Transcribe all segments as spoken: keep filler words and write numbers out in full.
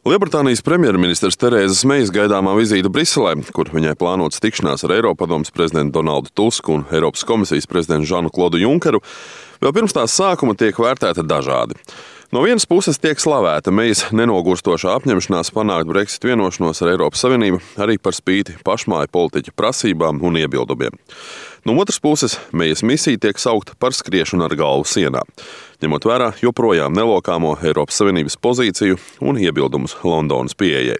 Lielbritānijas premjerministrs Terēzas Mejas gaidāmā vizīte Briselē, kur viņai plānots tikšanās ar Eiropadomes prezidentu Donaldu Tusku un Eiropas komisijas prezidentu Žanu Klodu Junkeru, vēl pirms tās sākuma tiek vērtēta dažādi. No vienas puses tiek slavēta Mejas nenogurstošā apņemšanās panākt Brexit vienošanos ar Eiropas Savienību arī par spīti pašmāju politiķa prasībām un iebildumiem. No otras puses, Mejas misija tiek saukta par skriešanu ar galvu sienā, ņemot vērā joprojām nelokāmo Eiropas Savienības pozīciju un iebildumus Londonas pieejai.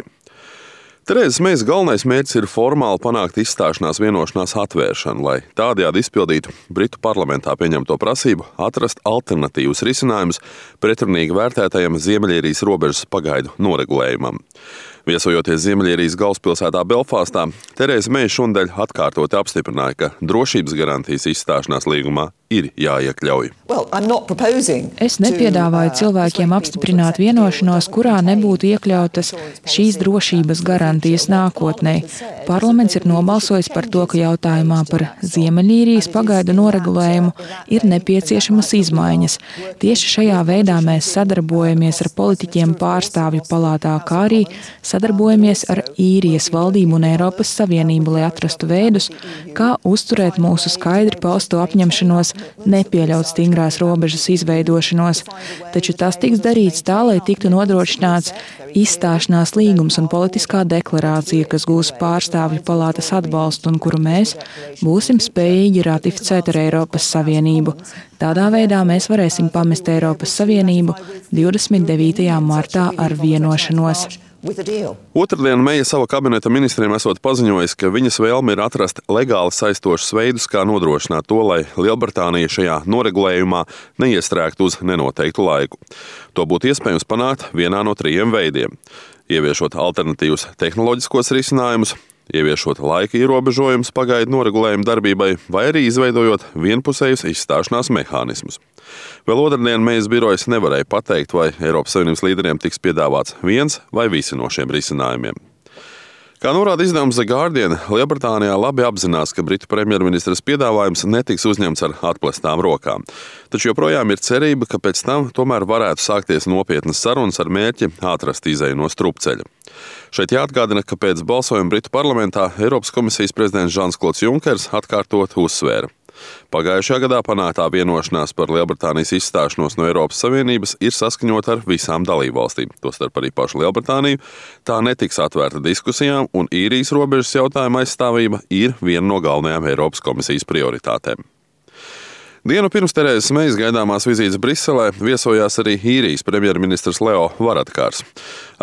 Terēzas Mejas galvenais mērķis ir formāli panākt izstāšanās vienošanās atvēršanu, lai tādējādi izpildītu Britu parlamentā pieņemto prasību atrast alternatīvus risinājumus pretrunīgi vērtētajam Ziemeļīrijas robežas pagaidu noregulējumam. Viesojoties Ziemeļīrijas galvaspilsētā Belfāstā, Terēza Meja šonadēļ atkārtoti apstiprināja, ka drošības garantijas izstāšanās līgumā ir jāiekļauj. Es nepiedāvāju cilvēkiem apstiprināt vienošanos, kurā nebūtu iekļautas šīs drošības garantijas nākotnē. Parlaments ir nobalsojis par to, ka jautājumā par Ziemeļīrijas pagaidu noregulējumu ir nepieciešamas izmaiņas. Tieši šajā veidā mēs sadarbojamies ar politiķiem pārstāvju palātā, kā arī sadarbojamies ar īrijas valdību un Eiropas Savienību, lai atrastu veidus, kā uzturēt mūsu skaidri pausto apņemšanos nepieļaut stingrās robežas izveidošanos. Taču tas tiks darīts tā, lai tiktu nodrošināts izstāšanās līgums un politiskā deklarācija, kas gūs pārstāvju palātas atbalstu un kuru mēs būsim spējīgi ratificēt ar Eiropas Savienību. Tādā veidā mēs varēsim pamest Eiropas Savienību divdesmit devītajā martā ar vienošanos. Otradien Meja sava kabineta ministriem esot paziņojis, ka viņas vēlme ir atrast legāli saistošus veidus, kā nodrošināt to, lai Lielbritānija šajā noregulējumā neiestrēgtu uz nenoteiktu laiku. To būtu iespējams panākt vienā no trījiem veidiem – ieviešot alternatīvus tehnoloģiskos risinājumus, ieviešot laika ierobežojumus pagaidu noregulējumu darbībai vai arī izveidojot vienpusējus izstāšanās mehānismus. Vēl otrdien Mejas birojas nevarēja pateikt, vai Eiropas Savienības līderiem tiks piedāvāts viens vai visi no šiem risinājumiem. Kā norāda izdevums The Guardian, Lielbritānijā labi apzinās, ka Britu premjerministres piedāvājums netiks uzņemts ar atplestām rokām. Taču joprojām ir cerība, ka pēc tam tomēr varētu sākties nopietnas sarunas ar mērķi atrast izeju no strupceļa. Šeit jāatgādina, ka pēc balsojuma Britu parlamentā Eiropas komisijas prezidents Žans Klods Junkers atkārtot uzsvēra. Pagājušajā gadā panāktā vienošanās par Lielbritānijas izstāšanos no Eiropas Savienības ir saskaņota ar visām dalībvalstīm, tostarp arī pašu Lielbritāniju. Tā netiks atvērta diskusijām, un īrijas robežas jautājuma aizstāvība ir viena no galvenajām Eiropas komisijas prioritātēm. Dienu pirms Terēzas Mejas gaidāmās vizītes Briselē viesojās arī īrijas premjerministrs Leo Varadkars.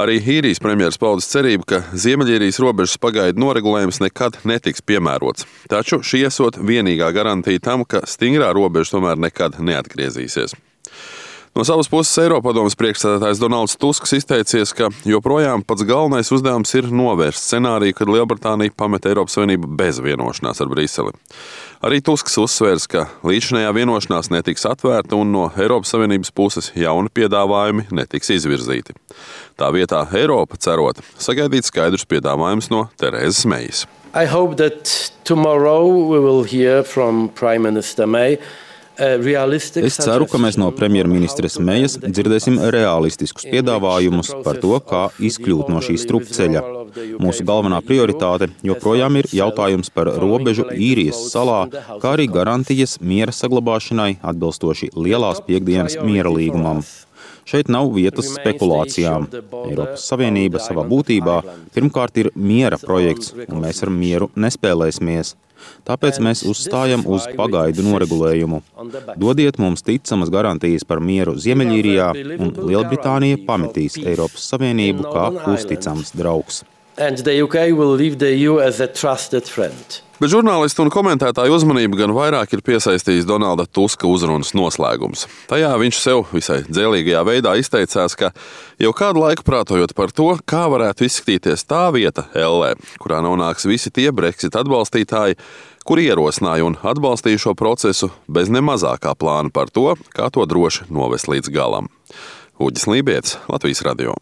Arī īrijas premjeras paudis cerību, ka Ziemeļīrijas robežas pagaidu noregulējums nekad netiks piemērots. Taču šī esot vienīgā garantija tam, ka stingrā robeža tomēr nekad neatgriezīsies. No savas puses Eiropadomes priekšsēdētājs Donalds Tusks izteicies, ka joprojām pats galvenais uzdevums ir novērst scenāriju, kad Lielbritānija pamet Eiropas Savienību bez vienošanās ar Briseli. Arī Tusks uzsvērs, ka līdzinējā vienošanās netiks atvērta un no Eiropas Savienības puses jauni piedāvājumi netiks izvirzīti. Tā vietā Eiropa, cerot, sagaidīt skaidrus piedāvājumus no Terēzas Mejas. I hope that tomorrow we will hear from Prime Minister May. Es ceru, ka mēs no premjerministres Mejas dzirdēsim realistiskus piedāvājumus par to, kā izkļūt no šī strupceļa. Mūsu galvenā prioritāte joprojām ir jautājums par robežu īrijas salā, kā arī garantijas miera saglabāšanai atbilstoši Lielās piekdienas miera līgumam. Šeit nav vietas spekulācijām. Eiropas Savienība savā būtībā pirmkārt ir miera projekts, un mēs ar mieru nespēlēsimies. Tāpēc mēs uzstājam uz pagaidu noregulējumu. Dodiet mums ticamas garantijas par mieru Ziemeļīrijā, un Lielbritānija pametīs Eiropas Savienību kā uzticams draugs. Bet žurnālistu un komentētāju uzmanību gan vairāk ir piesaistījis Donalda Tuska uzrunas noslēgums. Tajā viņš sev visai dzēlīgajā veidā izteicās, ka jau kādu laiku prātojot par to, kā varētu izskatīties tā vieta Ellē, kurā nonāks visi tie Brexit atbalstītāji, kuri ierosināja un atbalstīja šo procesu bez nemazākā plāna par to, kā to droši novest līdz galam. Uģis Lībietis, Latvijas radio.